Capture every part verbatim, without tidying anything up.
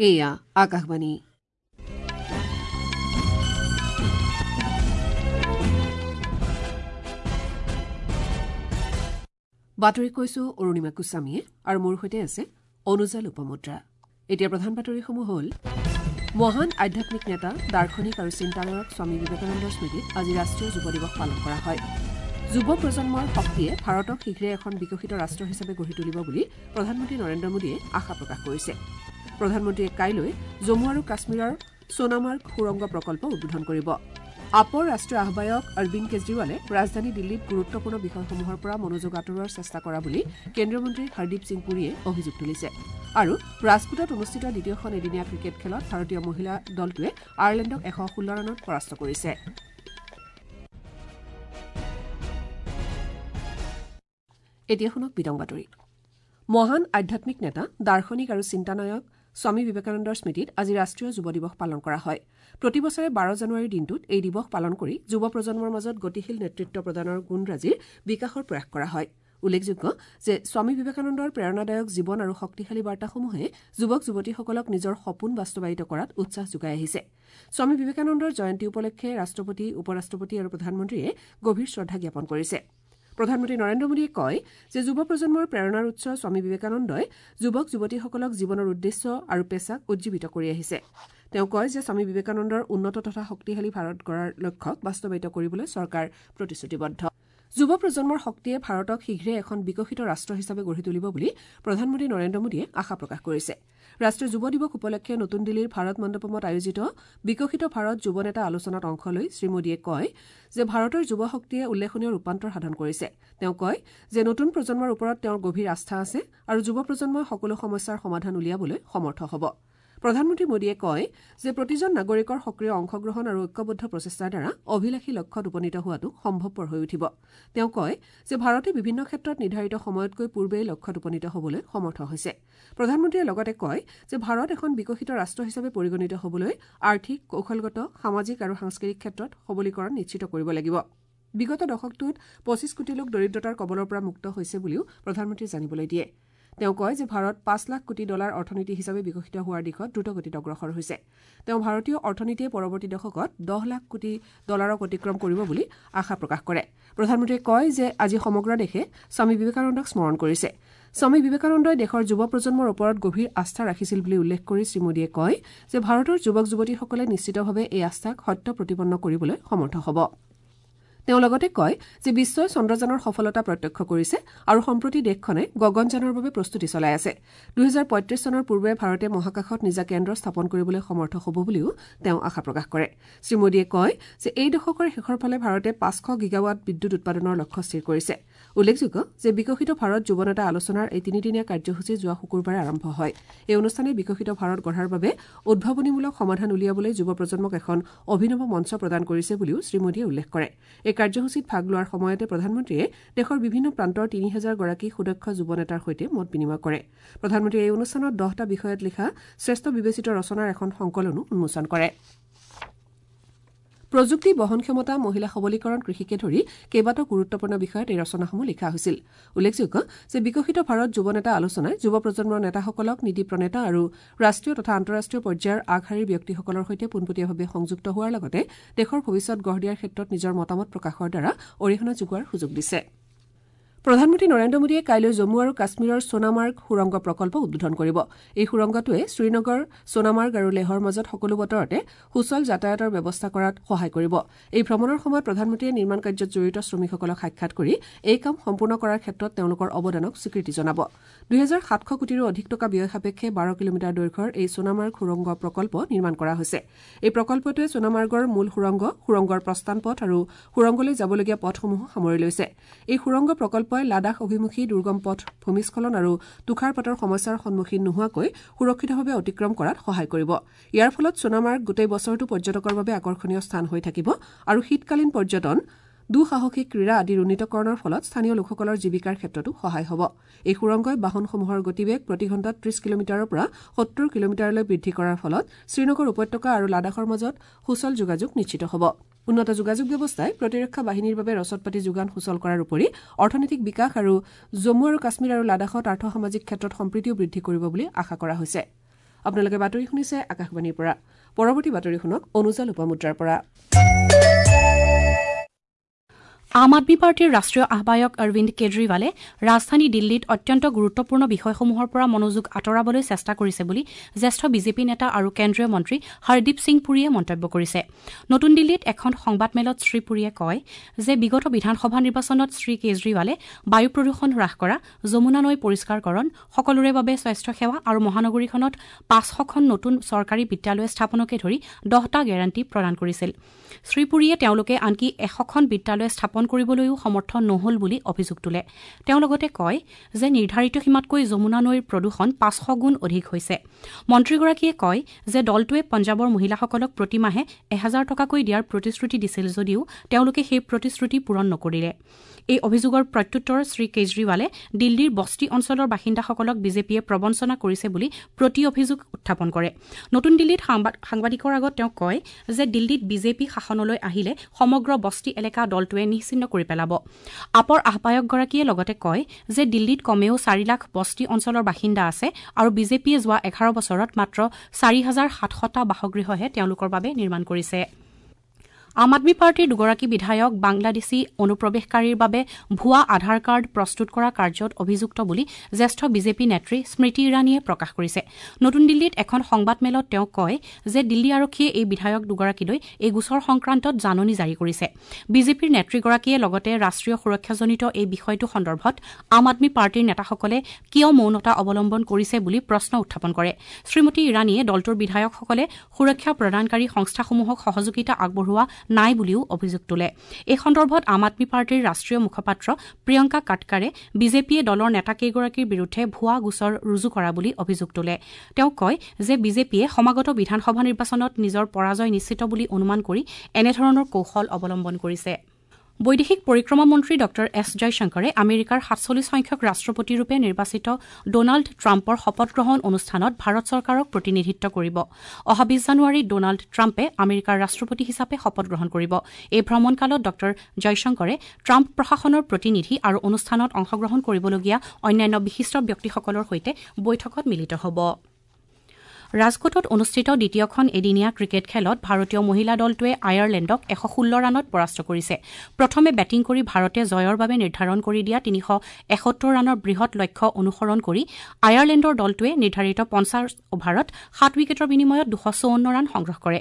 এয়া আকাশবাণী। বাতৰি কৈছো অৰুণিমা গোস্বামীয়ে আৰু মোৰ সৈতে আছে অনুজা লোপমুদ্ৰা। এতিয়া প্ৰধান বাতৰিসমূহ হ'ল: মহান আধ্যাত্মিক নেতা, দাৰ্শনিক আৰু চিন্তানায়ক স্বামী বিবেকানন্দৰ স্মৃতিত আজি ৰাষ্ট্ৰীয় যুৱ দিৱস পালন কৰা হয়। যুৱ প্ৰজন্মৰ শক্তিয়ে ভাৰতক শীঘ্ৰে এখন বিকশিত ৰাষ্ট্ৰ হিচাপে গঢ়ি তুলিব বুলি প্ৰধানমন্ত্ৰী নৰেন্দ্ৰ মোদীয়ে আশা প্ৰকাশ কৰিছে। প্ৰধানমন্ত্ৰীয়ে কাইলৈ জম্মু আৰু কাশ্মীৰৰ সোণামাৰ্গ সুৰংগ প্ৰকল্প উদ্বোধন কৰিব। আপৰ ৰাষ্ট্ৰীয় আহ্বায়ক অৰবিন্দ কেজৰিৱালে ৰাজধানী দিল্লীত গুৰুত্বপূৰ্ণ বিষয়সমূহৰ পৰা মনোযোগ আঁতৰোৱাৰ চেষ্টা কৰা বুলি কেন্দ্ৰীয় মন্ত্ৰী হৰদীপ সিং পুৰীয়ে অভিযোগ তুলিছে। আৰু ৰাজকোটত অনুষ্ঠিত দ্বিতীয়খন এদিনীয়া ক্ৰিকেট খেলত ভাৰতীয় মহিলা দলটোৱে আয়াৰলেণ্ডক এশ ষোল্ল ৰানত পৰাস্ত কৰিছে। এতিয়া শুনক বিতং বাতৰি। মহান আধ্যাত্মিক নেতা, দাৰ্শনিক আৰু চিন্তানায়ক স্বামী বিবেকানন্দৰ স্মৃতিত আজি ৰাষ্ট্ৰীয় যুৱ দিৱস পালন কৰা হয়। প্ৰতি বছৰে বাৰ জানুৱাৰীৰ দিনটোত এই দিৱস পালন কৰি যুৱ প্ৰজন্মৰ মাজত গতিশীল নেতৃত্ব প্ৰদানৰ গুণৰাজিৰ বিকাশৰ প্ৰয়াস কৰা হয়। উল্লেখযোগ্য যে স্বামী বিবেকানন্দৰ প্ৰেৰণাদায়ক জীৱন আৰু শক্তিশালী বাৰ্তাসমূহে যুৱক যুৱতীসকলক নিজৰ সপোন বাস্তৱায়িত কৰাত উৎসাহ যোগাই আহিছে। স্বামী বিবেকানন্দৰ জয়ন্তী উপলক্ষে ৰাষ্ট্ৰপতি, উপ ৰাষ্ট্ৰপতি আৰু প্ৰধানমন্ত্ৰীয়ে গভীৰ শ্ৰদ্ধা জ্ঞাপন কৰিছে। প্ৰধানমন্ত্ৰী নৰেন্দ্ৰ মোদীয়ে কয় যে যুৱ প্ৰজন্মৰ প্ৰেৰণাৰ উৎস স্বামী বিবেকানন্দই যুৱক যুৱতীসকলক জীৱনৰ উদ্দেশ্য আৰু পেছাক উজ্জীৱিত কৰি আহিছে। তেওঁ কয় যে স্বামী বিবেকানন্দৰ উন্নত তথা শক্তিশালী ভাৰত গঢ়াৰ লক্ষ্যক বাস্তৱায়িত কৰিবলৈ চৰকাৰ প্ৰতিশ্ৰুতিবদ্ধ। যুৱ প্ৰজন্মৰ শক্তিয়ে ভাৰতক শীঘ্ৰে এখন বিকশিত ৰাষ্ট্ৰ হিচাপে গঢ়ি তুলিব বুলি প্ৰধানমন্ত্ৰী নৰেন্দ্ৰ মোদীয়ে আশা প্ৰকাশ কৰিছে। ৰাষ্ট্ৰীয় যুৱ দিৱস উপলক্ষে নতুন দিল্লীৰ ভাৰত মণ্ডপমত আয়োজিত বিকশিত ভাৰত যুৱ নেতা আলোচনাত অংশ লৈ শ্ৰীমোদীয়ে কয় যে ভাৰতৰ যুৱ শক্তিয়ে উল্লেখনীয় ৰূপান্তৰ সাধন কৰিছে। তেওঁ কয় যে নতুন প্ৰজন্মৰ ওপৰত তেওঁৰ গভীৰ আস্থা আছে আৰু যুৱ প্ৰজন্মই সকলো সমস্যাৰ সমাধান উলিয়াবলৈ সমৰ্থ হ'ব। প্ৰধানমন্ত্ৰী মোদীয়ে কয় যে প্ৰতিজন নাগৰিকৰ সক্ৰিয় অংশগ্ৰহণ আৰু ঐক্যবদ্ধ প্ৰচেষ্টাৰ দ্বাৰা অভিলাষী লক্ষ্যত উপনীত হোৱাটো সম্ভৱপৰ হৈ উঠিব। তেওঁ কয় যে ভাৰতে বিভিন্ন ক্ষেত্ৰত নিৰ্ধাৰিত সময়তকৈ পূৰ্বেই লক্ষ্যত উপনীত হ'বলৈ সমৰ্থ হৈছে। প্ৰধানমন্ত্ৰীয়ে লগতে কয় যে ভাৰত এখন বিকশিত ৰাষ্ট্ৰ হিচাপে পৰিগণিত হ'বলৈ আৰ্থিক, কৌশলগত, সামাজিক আৰু সাংস্কৃতিক ক্ষেত্ৰত সবলীকৰণ নিশ্চিত কৰিব লাগিব। বিগত দশকটোত পঁচিছ কোটি লোক দৰিদ্ৰতাৰ কবলৰ পৰা মুক্ত হৈছে বুলিও প্ৰধানমন্ত্ৰীয়ে জানিবলৈ দিয়ে। তেওঁ কয় যে ভাৰত পাঁচ লাখ কোটি ডলাৰ অৰ্থনীতি হিচাপে বিকশিত হোৱাৰ দিশত দ্ৰুতগতিত অগ্ৰসৰ হৈছে। তেওঁ ভাৰতীয় অৰ্থনীতিয়ে পৰৱৰ্তী দশকত দহ লাখ কোটি ডলাৰক অতিক্ৰম কৰিব বুলি আশা প্ৰকাশ কৰে। প্ৰধানমন্ত্ৰীয়ে কয় যে আজি সমগ্ৰ দেশে স্বামী বিবেকানন্দক স্মৰণ কৰিছে। স্বামী বিবেকানন্দই দেশৰ যুৱ প্ৰজন্মৰ ওপৰত গভীৰ আস্থা ৰাখিছিল বুলি উল্লেখ কৰি শ্ৰীমোদীয়ে কয় যে ভাৰতৰ যুৱক যুৱতীসকলে নিশ্চিতভাৱে এই আস্থাক সত্য প্ৰতিপন্ন কৰিবলৈ সমৰ্থ হ'ব। তেওঁ লগতে কয় যে বিশ্বই চন্দ্ৰযানৰ সফলতা প্ৰত্যক্ষ কৰিছে আৰু সম্প্ৰতি দেশখনে গগনযানৰ বাবে প্ৰস্তুতি চলাই আছে। দুহেজাৰ পঁয়ত্ৰিশ চনৰ পূৰ্বে ভাৰতে মহাকাশত নিজা কেন্দ্ৰ স্থাপন কৰিবলৈ সমৰ্থ হ'ব বুলিও তেওঁ আশা প্ৰকাশ কৰে। শ্ৰীমোদীয়ে কয় যে এই দশকৰ শেষৰ ফালে ভাৰতে পাঁচশ গিগাৱাট বিদ্যুৎ উৎপাদনৰ লক্ষ্য স্থিৰ কৰিছে। উল্লেখযোগ্য যে বিকশিত ভাৰত যুৱ নেতা আলোচনাৰ এই তিনিদিনীয়া কাৰ্যসূচী যোৱা শুকুৰবাৰে আৰম্ভ হয়। এই অনুষ্ঠানে বিকশিত ভাৰত গঢ়াৰ বাবে উদ্ভাৱনীমূলক সমাধান উলিয়াবলৈ যুৱ প্ৰজন্মক এখন অভিনৱ মঞ্চ প্ৰদান কৰিছে বুলিও শ্ৰীমোদীয়ে উল্লেখ কৰে। এই কাৰ্যসূচীত ভাগ লোৱাৰ সময়তে প্ৰধানমন্ত্ৰীয়ে দেশৰ বিভিন্ন প্ৰান্তৰ তিনি হাজাৰ গৰাকী সুদক্ষ যুৱ নেতাৰ সৈতে মত বিনিময় কৰে। প্ৰধানমন্ত্ৰীয়ে এই অনুষ্ঠানত দহটা বিষয়ত লিখা শ্ৰেষ্ঠ বিবেচিত ৰচনাৰ এখন সংকলনো উন্মোচন কৰে। প্ৰযুক্তি, বহনক্ষমতা, মহিলা সবলীকৰণ, কৃষিকে ধৰি কেইবাটাও গুৰুত্বপূৰ্ণ বিষয়ত এই ৰচনাসমূহ লিখা হৈছিল। উল্লেখযোগ্য যে বিকশিত ভাৰত যুৱ নেতা আলোচনাই যুৱ প্ৰজন্মৰ নেতাসকলক নীতি প্ৰণেতা আৰু ৰাষ্ট্ৰীয় তথা আন্তঃৰাষ্ট্ৰীয় পৰ্যায়ৰ আগশাৰীৰ ব্যক্তিসকলৰ সৈতে পোনপটীয়াভাৱে সংযুক্ত হোৱাৰ লগতে দেশৰ ভৱিষ্যত গঢ় দিয়াৰ ক্ষেত্ৰত নিজৰ মতামত প্ৰকাশৰ দ্বাৰা অৰিহণা যোগোৱাৰ সুযোগ দিছে। প্ৰধানমন্ত্ৰী নৰেন্দ্ৰ মোদীয়ে কাইলৈ জম্মু আৰু কাশ্মীৰৰ সোণামাৰ্গ সুৰংগ প্ৰকল্প উদ্বোধন কৰিব। এই সুৰংগটোৱে শ্ৰীনগৰ, সোণামাৰ্গ আৰু লেহৰ মাজত সকলো বতৰতে সুচল যাতায়াতৰ ব্যৱস্থা কৰাত সহায় কৰিব। এই ভ্ৰমণৰ সময়ত প্ৰধানমন্ত্ৰীয়ে নিৰ্মাণ কাৰ্যত জড়িত শ্ৰমিকসকলক সাক্ষাৎ কৰি এই কাম সম্পূৰ্ণ কৰাৰ ক্ষেত্ৰত তেওঁলোকৰ অৱদানক স্বীকৃতি জনাব। দুহেজাৰ সাতশ কোটিৰো অধিক টকা ব্যয় সাপেক্ষে বাৰ কিলোমিটাৰ দৈৰ্ঘ্যৰ এই সোণামাৰ্গ সুৰংগ প্ৰকল্প নিৰ্মাণ কৰা হৈছে। এই প্ৰকল্পটোৱে সোণামাৰ্গৰ মূল সুৰংগ, সুৰংগৰ প্ৰস্থান পথ আৰু সুৰংগলৈ যাবলগীয়া পথসমূহো সামৰি লৈছে। এই সুৰংগ প্ৰকল্প লাডাখ অভিমুখী দুৰ্গম পথ, ভূমিস্খলন আৰু তুষাৰপাতৰ সমস্যাৰ সন্মুখীন নোহোৱাকৈ সুৰক্ষিতভাৱে অতিক্ৰম কৰাত সহায় কৰিব। ইয়াৰ ফলত সোণামাৰ্গ গোটেই বছৰটো পৰ্যটকৰ বাবে আকৰ্ষণীয় স্থান হৈ থাকিব আৰু শীতকালীন পৰ্যটন, দুঃসাহসিক ক্ৰীড়া আদিৰ উন্নীতকৰণৰ ফলত স্থানীয় লোকসকলৰ জীৱিকাৰ ক্ষেত্ৰতো সহায় হ'ব। এই সুৰংগই বাহনসমূহৰ গতিবেগ প্ৰতি ঘণ্টাত ত্ৰিশ কিলোমিটাৰৰ পৰা সত্তৰ কিলোমিটাৰলৈ বৃদ্ধি কৰাৰ ফলত শ্ৰীনগৰ উপত্যকা আৰু লাডাখৰ মাজত সুচল যোগাযোগ নিশ্চিত হ'ব। উন্নত যোগাযোগ ব্যৱস্থাই প্ৰতিৰক্ষা বাহিনীৰ বাবে ৰচদ পাতি যোগান সুচল কৰাৰ উপৰি অৰ্থনৈতিক বিকাশ আৰু জম্মু আৰু কাশ্মীৰ আৰু লাডাখত আৰ্থ সামাজিক ক্ষেত্ৰত সম্প্ৰীতিও বৃদ্ধি কৰিব বুলি আশা কৰা হৈছে। আপোনালোকে বাতৰি শুনিছে আকাশবাণীৰ পৰা। পৰৱৰ্তী বাতৰি শুনক অনুজা লোপামুদ্ৰাৰ পৰা। আম আদমি পাৰ্টীৰ ৰাষ্ট্ৰীয় আহ্বায়ক অৰবিন্দ কেজৰিৱালে ৰাজধানী দিল্লীত অত্যন্ত গুৰুত্বপূৰ্ণ বিষয়সমূহৰ পৰা মনোযোগ আঁতৰাবলৈ চেষ্টা কৰিছে বুলি জ্যেষ্ঠ বিজেপি নেতা আৰু কেন্দ্ৰীয় মন্ত্ৰী হৰদীপ সিং পুৰীয়ে মন্তব্য কৰিছে। নতুন দিল্লীত এখন সংবাদমেলত শ্ৰীপুৰীয়ে কয় যে বিগত বিধানসভা নিৰ্বাচনত শ্ৰীকেজৰিৱালে বায়ু প্ৰদূষণ হ্ৰাস কৰা, যমুনা নৈ পৰিষ্কাৰকৰণ, সকলোৰে বাবে স্বাস্থ্যসেৱা আৰু মহানগৰীখনত পাঁচশখন নতুন চৰকাৰী বিদ্যালয় স্থাপনকে ধৰি দহটা গেৰাণ্টি প্ৰদান কৰিছিল। শ্ৰীপুৰীয়ে তেওঁলোকে আনকি এশখন বিদ্যালয় স্থাপন কৰিবলৈও সমৰ্থ নহল বুলি অভিযোগ তোলে। তেওঁ লগতে কয় যে নিৰ্ধাৰিত সীমাতকৈ যমুনা নৈৰ প্ৰদূষণ পাঁচশ গুণ অধিক হৈছে। মন্ত্ৰীগৰাকীয়ে কয় যে দলটোৱে পঞ্জাৱৰ মহিলাসকলক প্ৰতিমাহে এহেজাৰ টকাকৈ দিয়াৰ প্ৰতিশ্ৰুতি দিছিল যদিও তেওঁলোকে সেই প্ৰতিশ্ৰুতি পূৰণ নকৰিলে। এই অভিযোগৰ প্ৰত্যুত্তৰত শ্ৰীকেজৰিৱালে দিল্লীৰ বস্তি অঞ্চলৰ বাসিন্দাসকলক বিজেপিয়ে প্ৰবঞ্চনা কৰিছে বুলি প্ৰতি অভিযোগ উত্থাপন কৰে। নতুন দিল্লীত সাংবাদিকৰ আগত তেওঁ কয় যে দিল্লীত বিজেপি শাসনলৈ আহিলে সমগ্ৰ বস্তি এলেকা দলটোৱে নিশ্চিন্ন কৰি পেলাব। আপৰ আহ্বায়কগৰাকীয়ে লগতে কয় যে দিল্লীত কমেও চাৰি লাখ বস্তি অঞ্চলৰ বাসিন্দা আছে আৰু বিজেপিয়ে যোৱা এঘাৰ বছৰত মাত্ৰ চাৰি হাজাৰ সাতশটা বাসগৃহহে তেওঁলোকৰ বাবে নিৰ্মাণ কৰিছে। আম আদমি পাৰ্টীৰ দুগৰাকী বিধায়ক বাংলাদেশী অনুপ্ৰৱেশকাৰীৰ বাবে ভুৱা আধাৰ কাৰ্ড প্ৰস্তুত কৰা কাৰ্যত অভিযুক্ত বুলি জ্যেষ্ঠ বিজেপি নেত্ৰী স্মৃতি ইৰাণীয়ে প্ৰকাশ কৰিছে। নতুন দিল্লীত এখন সংবাদমেলত তেওঁ কয় যে দিল্লী আৰক্ষীয়ে এই বিধায়ক দুগৰাকীলৈ এই গোচৰ সংক্ৰান্তত জাননী জাৰি কৰিছে। বিজেপিৰ নেত্ৰীগৰাকীয়ে লগতে ৰাষ্ট্ৰীয় সুৰক্ষাজনিত এই বিষয়টো সন্দৰ্ভত আম আদমি পাৰ্টীৰ নেতাসকলে কিয় মৌনতা অৱলম্বন কৰিছে বুলি প্ৰশ্ন উত্থাপন কৰে। শ্ৰীমতী ইৰাণীয়ে দলটোৰ বিধায়কসকলে সুৰক্ষা প্ৰদানকাৰী সংস্থাসমূহক সহযোগিতা আগবঢ়োৱা নাই বুলিও অভিযোগ তোলে। এই সন্দৰ্ভত আম আদমি পাৰ্টীৰ ৰাষ্ট্ৰীয় মুখপাত্ৰ প্ৰিয়ংকা কাটকাৰে বিজেপিয়ে দলৰ নেতাকেইগৰাকীৰ বিৰুদ্ধে ভুৱা গোচৰ ৰুজু কৰা বুলি অভিযোগ তোলে। তেওঁ কয় যে বিজেপিয়ে সমাগত বিধানসভা নিৰ্বাচনত নিজৰ পৰাজয় নিশ্চিত বুলি অনুমান কৰি এনেধৰণৰ কৌশল অৱলম্বন কৰিছে। বৈদেশিক পৰিক্ৰমা মন্ত্ৰী ডঃ এছ জয়শংকৰে আমেৰিকাৰ সাতচল্লিছ সংখ্যক ৰাষ্ট্ৰপতিৰূপে নিৰ্বাচিত ডনাল্ড ট্ৰাম্পৰ শপতগ্ৰহণ অনুষ্ঠানত ভাৰত চৰকাৰক প্ৰতিনিধিত্ব কৰিব। অহা বিছ জানুৱাৰীত ডনাল্ড ট্ৰাম্পে আমেৰিকাৰ ৰাষ্ট্ৰপতি হিচাপে শপতগ্ৰহণ কৰিব। এই ভ্ৰমণকালত ডঃ জয়শংকৰে ট্ৰাম্প প্ৰশাসনৰ প্ৰতিনিধি আৰু অনুষ্ঠানত অংশগ্ৰহণ কৰিবলগীয়া অন্যান্য বিশিষ্ট ব্যক্তিসকলৰ সৈতে বৈঠকত মিলিত হ'ব। ৰাজকোটত অনুষ্ঠিত দ্বিতীয়খন এদিনীয়া ক্ৰিকেট খেলত ভাৰতীয় মহিলা দলটোৱে আয়াৰলেণ্ডক এশ ষোল্ল ৰানত পৰাস্ত কৰিছে। প্ৰথমে বেটিং কৰি ভাৰতে জয়ৰ বাবে নিৰ্ধাৰণ কৰি দিয়া তিনিশ এসত্তৰ ৰানৰ বৃহৎ লক্ষ্য অনুসৰণ কৰি আয়াৰলেণ্ডৰ দলটোৱে নিৰ্ধাৰিত পঞ্চাছ অভাৰত সাত উইকেটৰ বিনিময়ত দুশ চৌৱন্ন ৰান সংগ্ৰহ কৰে।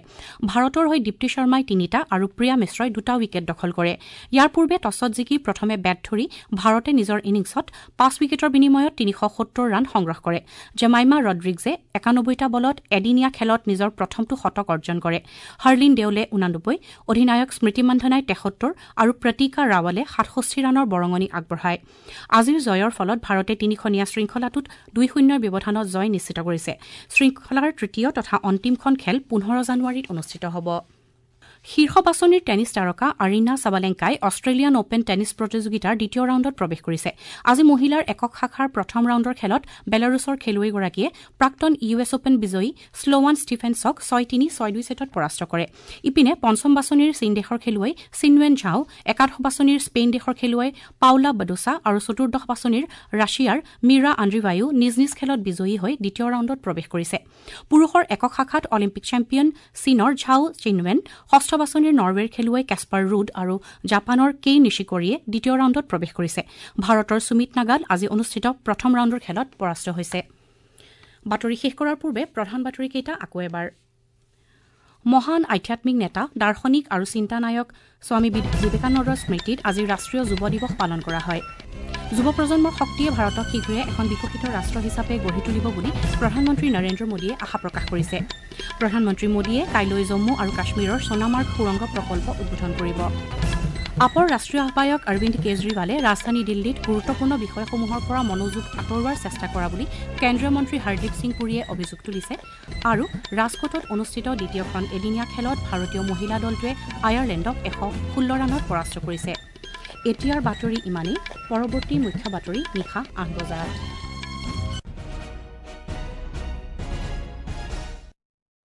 ভাৰতৰ হৈ দীপ্তি শৰ্মাই তিনিটা আৰু প্ৰিয়া মিশ্ৰই দুটা উইকেট দখল কৰে। ইয়াৰ পূৰ্বে টছত জিকি প্ৰথমে বেট ধৰি ভাৰতে নিজৰ ইনিংছত পাঁচ উইকেটৰ বিনিময়ত তিনিশ সত্তৰ ৰান সংগ্ৰহ কৰে। জেমাইমা ৰড্ৰিগছে একানব্বৈটা বলত এদিনীয়া খেলত নিজৰ প্ৰথমটো শতক অৰ্জন কৰে। হাৰ্লিন দেওলে ঊনানব্বৈ, অধিনায়ক স্মৃতি মন্ধনাই তেসত্তৰ আৰু প্ৰতিকা ৰাৱালে সাতষষ্ঠি ৰানৰ বৰঙণি আগবঢ়ায়। আজিৰ জয়ৰ ফলত ভাৰতে তিনিখনীয়া শৃংখলাটোত দুই শূন্যৰ ব্যৱধানত জয় নিশ্চিত কৰিছে। শৃংখলাৰ তৃতীয় তথা অন্তিমখন খেল পোন্ধৰ জানুৱাৰীত অনুষ্ঠিত হ'ব। শীৰ্ষ বাছনিৰ টেনিছ তাৰকা আৰিনা ছাবালেংকাই অষ্ট্ৰেলিয়ান অপেন টেনিছ প্ৰতিযোগিতাৰ দ্বিতীয় ৰাউণ্ডত প্ৰৱেশ কৰিছে। আজি মহিলাৰ একক শাখাৰ প্ৰথম ৰাউণ্ডৰ খেলত বেলাৰুছৰ খেলুৱৈগৰাকীয়ে প্ৰাক্তন ইউ এছ অপেন বিজয়ী শ্লোৱান ষ্টিফেন্সক ছয় তিনি ছয় দুই ছেটত পৰাস্ত কৰে। ইপিনে পঞ্চম বাছনিৰ চীন দেশৰ খেলুৱৈ চিনৱেন ঝাও, একাদশ বাছনিৰ স্পেইন দেশৰ খেলুৱৈ পাউলা বাডোছা আৰু চতুৰ্দশ বাছনিৰ ৰাছিয়াৰ মিৰা আন্দ্ৰিভায়ো নিজ নিজ খেলত বিজয়ী হৈ দ্বিতীয় ৰাউণ্ডত প্ৰৱেশ কৰিছে। পুৰুষৰ একক শাখাত অলিম্পিক চেম্পিয়ন চীনৰ ঝাও চিনৱেন, ষষ্ঠ বাছনিৰ নৰৱেৰ খেলুৱৈ কেছপাৰ ৰুড আৰু জাপানৰ কেই নিশিকৰিয়ে দ্বিতীয় ৰাউণ্ডত প্ৰৱেশ কৰিছে। ভাৰতৰ সুমিত নাগাল আজি অনুষ্ঠিত প্ৰথম ৰাউণ্ডৰ খেলত পৰাস্ত হৈছে। বাতৰি শেষ কৰাৰ পূৰ্বে প্ৰধান বাতৰিকেইটা আকৌ এবাৰ। মহান আধ্যাত্মিক নেতা, দাৰ্শনিক আৰু চিন্তানায়ক স্বামী বিবেকানন্দৰ স্মৃতিত আজি ৰাষ্ট্ৰীয় যুৱ দিৱস পালন কৰা হয়। যুৱ প্ৰজন্মৰ শক্তিয়ে ভাৰতক শীঘ্ৰে এখন বিকশিত ৰাষ্ট্ৰ হিচাপে গঢ়ি তুলিব বুলি প্ৰধানমন্ত্ৰী নৰেন্দ্ৰ মোদীয়ে আশা প্ৰকাশ কৰিছে। প্ৰধানমন্ত্ৰী মোদীয়ে কাইলৈ জম্মু আৰু কাশ্মীৰৰ সোণামাৰ্গ সুৰংগ প্ৰকল্প উদ্বোধন কৰিব। আপৰ ৰাষ্ট্ৰীয় আহ্বায়ক অৰবিন্দ কেজৰিৱালে ৰাজধানী দিল্লীত গুৰুত্বপূৰ্ণ বিষয়সমূহৰ পৰা মনোযোগ আঁতৰোৱাৰ চেষ্টা কৰা বুলি কেন্দ্ৰীয় মন্ত্ৰী হৰদীপ সিং পুৰীয়ে অভিযোগ তুলিছে। আৰু ৰাজকোটত অনুষ্ঠিত দ্বিতীয়খন এদিনীয়া খেলত ভাৰতীয় মহিলা দলটোৱে আয়াৰলেণ্ডক এশ ষোল্ল ৰানত পৰাস্ত কৰিছে। এতিয়াৰ বাতৰি ইমানেই। পৰৱৰ্তী মুখ্য বাতৰি নিশা আঠ বজাত।